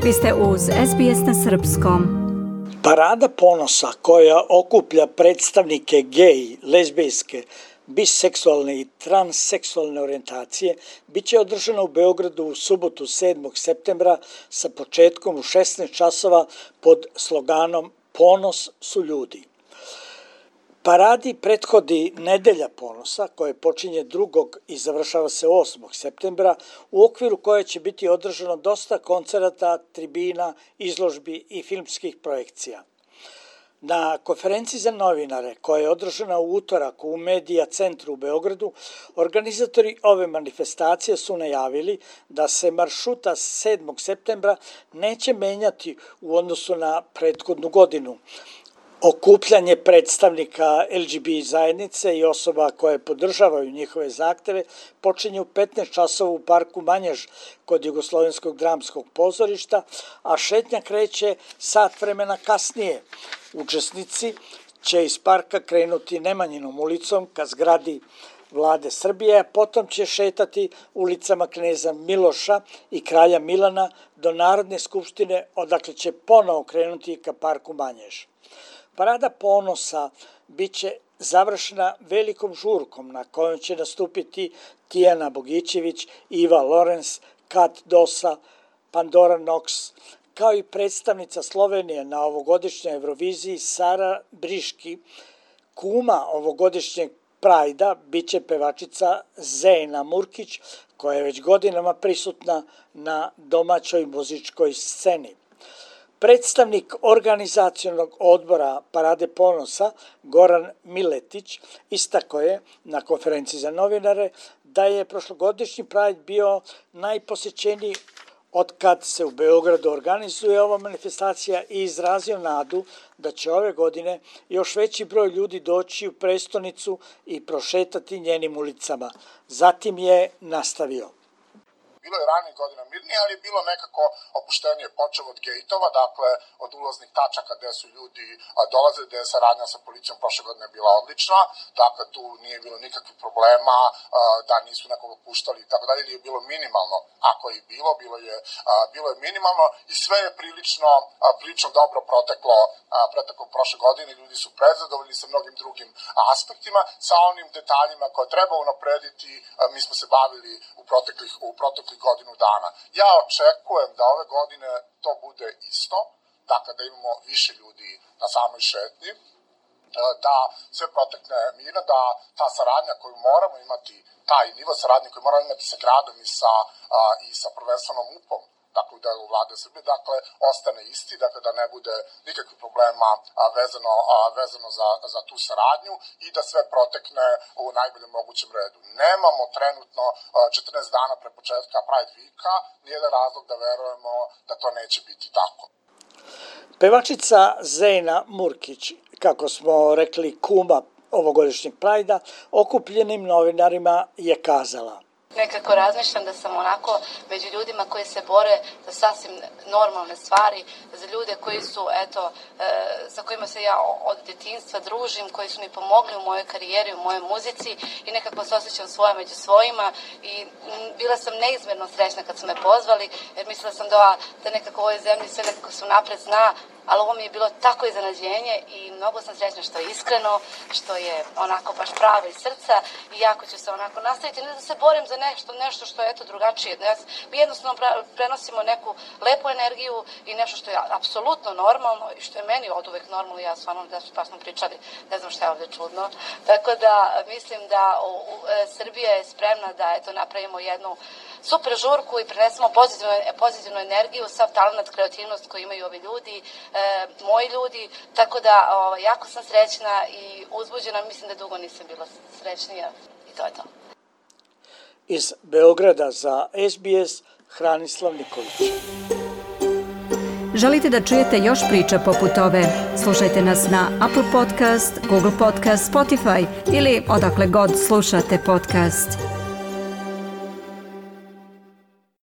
Vi ste uz SBS na srpskom. Parada ponosa koja okuplja predstavnike gej, lezbijske, biseksualne i transseksualne orijentacije biće održana u Beogradu u subotu 7. septembra sa početkom u 16 časova pod sloganom Ponos su ljudi. Paradi prethodi Nedelja ponosa koja počinje 2. i završava se 8. septembra u okviru koje će biti održano dosta koncerata, tribina, izložbi i filmskih projekcija. Na konferenciji za novinare koja je održana u utorak u Medija centru u Beogradu, organizatori ove manifestacije su najavili da se maršruta 7. septembra neće menjati u odnosu na prethodnu godinu. Okupljanje predstavnika LGBT zajednice i osoba koje podržavaju njihove zahteve počinje u 15 časova u parku Manjež kod Jugoslovenskog dramskog pozorišta, a šetnja kreće sat vremena kasnije. Učesnici će iz parka krenuti Nemanjinom ulicom ka zgradi Vlade Srbije, a potom će šetati ulicama Kneza Miloša i Kralja Milana do Narodne skupštine, odakle će ponovo krenuti ka parku Manjež. Parada ponosa biće završena velikom žurkom na kojoj će nastupiti Tijana Bogićević, Iva Lorenz, Kat Dosa, Pandora Nox, kao i predstavnica Slovenije na ovogodišnjoj Euroviziji Sara Briški. Kuma ovogodišnjeg Prajda biće pevačica Zejna Murkić, koja je već godinama prisutna na domaćoj muzičkoj sceni. Predstavnik organizacionog odbora Parade ponosa Goran Miletić istakao je na konferenciji za novinare da je prošlogodišnji Pride bio najposećeniji od kad se u Beogradu organizuje ova manifestacija i izrazio nadu da će ove godine još veći broj ljudi doći u prestonicu i prošetati njenim ulicama. Zatim je nastavio. Bilo je ranijih godina mirnije, ali je bilo nekako opuštenije, počev od gejtova, dakle od ulaznih tačaka gde su ljudi dolazili, gde je saradnja sa policijom prošle godine bila odlična, dakle tu nije bilo nikakvih problema, da nisu nekoga puštali i tako dalje, ili je bilo minimalno, ako je bilo, bilo je minimalno i sve je prilično dobro proteklo prošle godine, ljudi su prezadovoljni sa mnogim drugim aspektima, sa onim detaljima koje treba unaprediti, mi smo se bavili u proteklih godinu dana. Ja očekujem da ove godine to bude isto, dakle da imamo više ljudi na samoj šetnji, da sve protekne mirno, da ta saradnja koju moramo imati, taj nivo saradnje koju moramo imati sa gradom i sa prvenstvenom MUP-om, dakle u delu Vlade Srbije, dakle ostane isti, dakle da ne bude nikakvih problema vezano za tu saradnju i da sve protekne u najboljem mogućem redu. Nemamo trenutno 14 dana pre početka Pride Weeka nijedan razlog da verujemo da to neće biti tako. Pevačica Zejna Murkić, kako smo rekli kuma ovogodišnjeg Prajda, okupljenim novinarima je kazala: Nekako razmišljam da sam onako među ljudima koji se bore za sasvim normalne stvari, za ljude koji su, sa kojima se ja od djetinjstva družim, koji su mi pomogli u mojoj karijeri, u mojoj muzici i nekako se osjećam svoja među svojima i bila sam neizmjerno srećna kad su me pozvali, jer mislila sam da nekako u ovoj zemlji sve nekako se napred zna, ali ovo mi je bilo tako iznenađenje i mnogo sam srećna što je iskreno, što je onako baš pravo iz srca i jako ću se onako nastaviti, ne da se borim za nešto što je drugačije. Mi jednostavno prenosimo neku lepu energiju i nešto što je apsolutno normalno i što je meni od uvek normalno. Ja stvarno, pa smo pričali, ne znam šta je ovdje čudno. Tako da mislim da Srbija je spremna da napravimo jednu super žurku i prenesemo pozitivnu energiju, sav talent, kreativnost koju imaju ovi ljudi, moji ljudi, tako da jako sam srećna i uzbuđena, mislim da dugo nisam bila srećnija i to je to. Iz Beograda za SBS, Hranislav Nikolić. Želite da čujete još priča poput ove? Slušajte nas na Apple Podcast, Google Podcast, Spotify ili odakle god slušate podcast.